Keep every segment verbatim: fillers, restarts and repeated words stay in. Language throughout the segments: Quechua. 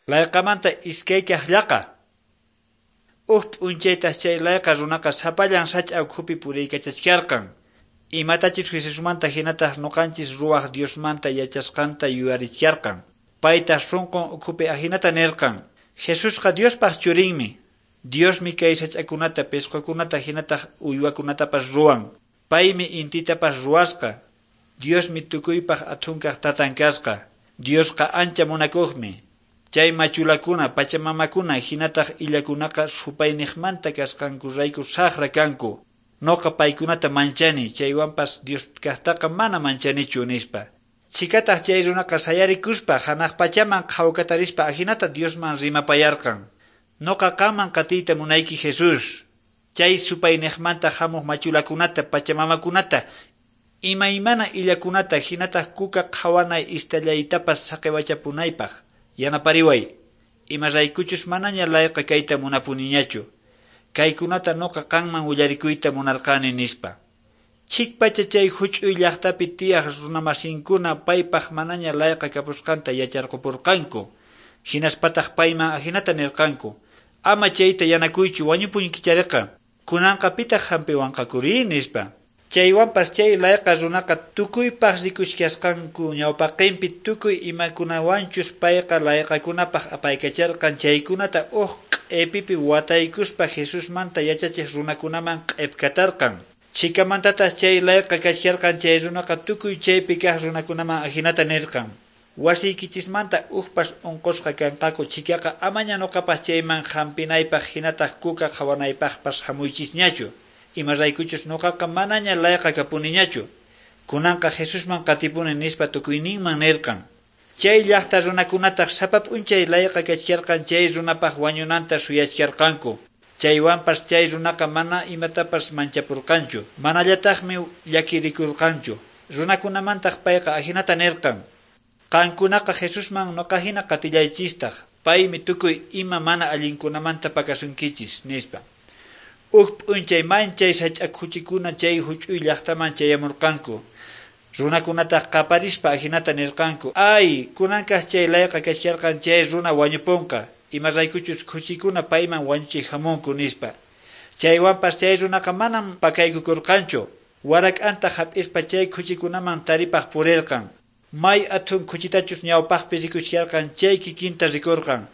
Layqamanta iskaykaq llaqa. Uj p'unchaytaq chay layqa runaqa sapallan sach'a ukhupi puriykachachkarqan. Imatachus Jesusmanta hinataq nuqanchis ruwaq Diosmanta yachasqanta yuyarichkarqan. Paytaq sunqun ukhupi ahinata nirqan: Jesusqa Diospaq churinmi. Diosmi kay sach'akunata, pisqukunata hinataq uywakunatapas ruwan. Paymi intitapas ruwasqa. Diosmi tukuypaq athunkaq tatan kasqa. Diosqa ancha munakuqmi. Chay machulakuna, pachamamakuna hinataq illakunaqa supayniqmanta kasqankurayku saqra kanku. Noqa paykunata manchani, chaywanpas Dios kaqtaqa mana manchanichu, nispa. Chhikataq chay runaqa sayarikuspa hanaq pachaman qhawkatarispa ahinata Diosman rimapayarqan: Noqa qanman qatiyta munayki, Jesús. Chay supayniqmanta hamuq machulakunata, pachamamakunata, imaymana illakunata hinataq kuka qhawanay istallaytapas saqiwachapunaypaq yanapariway. Imaraykuchus manaña layqa kayta munapuniñachu. Kaykunata noqa qanman willarikuyta munarqani, nispa. Chikpacha chay huch'uy llaqtapi tiyaq runamasinkuna paypaq manaña layqa kapusqanta yacharqupurqanku. Hinaspataq payman ahinata nirqanku: Ama chayta yanakuychu, wañupunkichariqa. Kunanqa pitaq hampiwanqakuri, nispa. Chaywanpas chay layqa runaqa tukuypaq rikuchkasqanku ñawpaqinpi tukuy imakunawanchus payqa layqakunapaq apaykacharqan chaykunata uj q'epipi wataykuspa Jesusmanta yachachiq runakunaman q'ipkatarqan. Chhikamantataq chay layqa kachkarqan chay runaqa tukuy chaypi kaq runakunaman ahinata nirqan: Wasiykichismanta ujpas unqusqa kanqaku chhikaqa amaña nuqapaq chayman hampinaypaq hinataq kuka qhawanaypaqpas hamuychisñachu. Imaraykuchus nuqaqa manaña layqa kapuniñachu. Kunanqa Jesusman qatipuni, nispa tukuyninman nirqan. Chay llaqta runakunataq sapa p'unchay layqa kachkarqan chay runapaq wañunanta suyachkarqanku. Chaywanpas chay runaqa mana imatapas manchapurqanchu, manallataqmi llakirikurqanchu. Runakunamantaq payqa ahinata nirqan: Qankunaqa Jesusman nuqa hina qatillaychistaq, paymi tukuy ima mana allinkunamanta pakasunkichis, nispa. Uj p'unchay manchay sach'a khuchikuna chay huch'uy llaqtaman chayamurqanku. Runakunataq qaparispa ahinata nirqanku: Ay, kunankaq chay layqa kachkarqan chay runa wañupunqa, imaraykuchus khuchikuna payman wañuchiq hamunku, nispa. Chaywanpas chay runaqa manam pakaykukurqanchu. Warak'anta hap'ispa chay khuchikunaman taripaq purirqan. May athun khuchitachus ñawpaqpi rikuchkarqan chay kikinta rikurqan.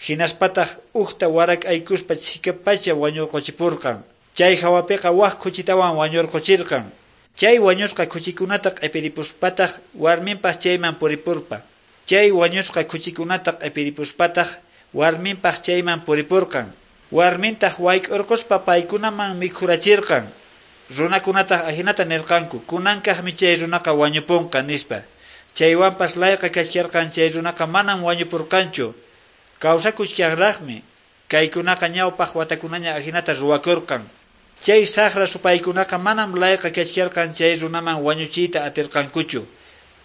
Hinaspataq ujta warak'aykuspa chhikapacha wañurquchipurqan. Chay hawapiqa wak khuchitawan wañurquchirqan. Chay wañusqa khuchikunata q'ipiripuspataq warminpaq chayman puripurpa. Chay wañusqa khuchikunata q'ipiripuspataq warminpaq chayman puripurqan. Warmintaq wayk'urquspa paykunaman mikhurachirqan. Runakunataq ahinata nirqanku: Kunankaqmi chay runaqa wañupunqa, nispa. Chaywanpas layqa kachkarqan chay runaqa manam wañupurqanchu. Kawsakuchkanraqmi. Kaykunaqa ñawpaq watakunaña ahinata ruwakurqan. Chay saqra supaykunaqa manam layqa kachkarqan chay runaman wañuchiyta atirqankuchu.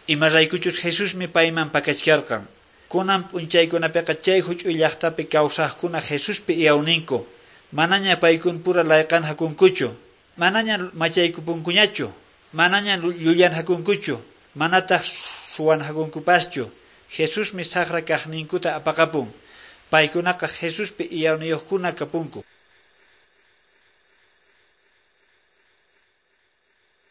Imaraykuchus Jesusmi payman pakachkarqan. Kunan p'unchaykunapiqa chay huch'uy llaqtapi kawsaqkuna Jesuspi iyawninku. Manaña paykunpura layqanhakunkuchu. Manaña machaykupunkuñachu. Manaña llullanhakunkuchu. Manataq suwanhakunkupaschu. Jesusmi saqra kaqninkuta apaqapun. Paykunaqa Jesuspi iyawniyuqkuna kapunku.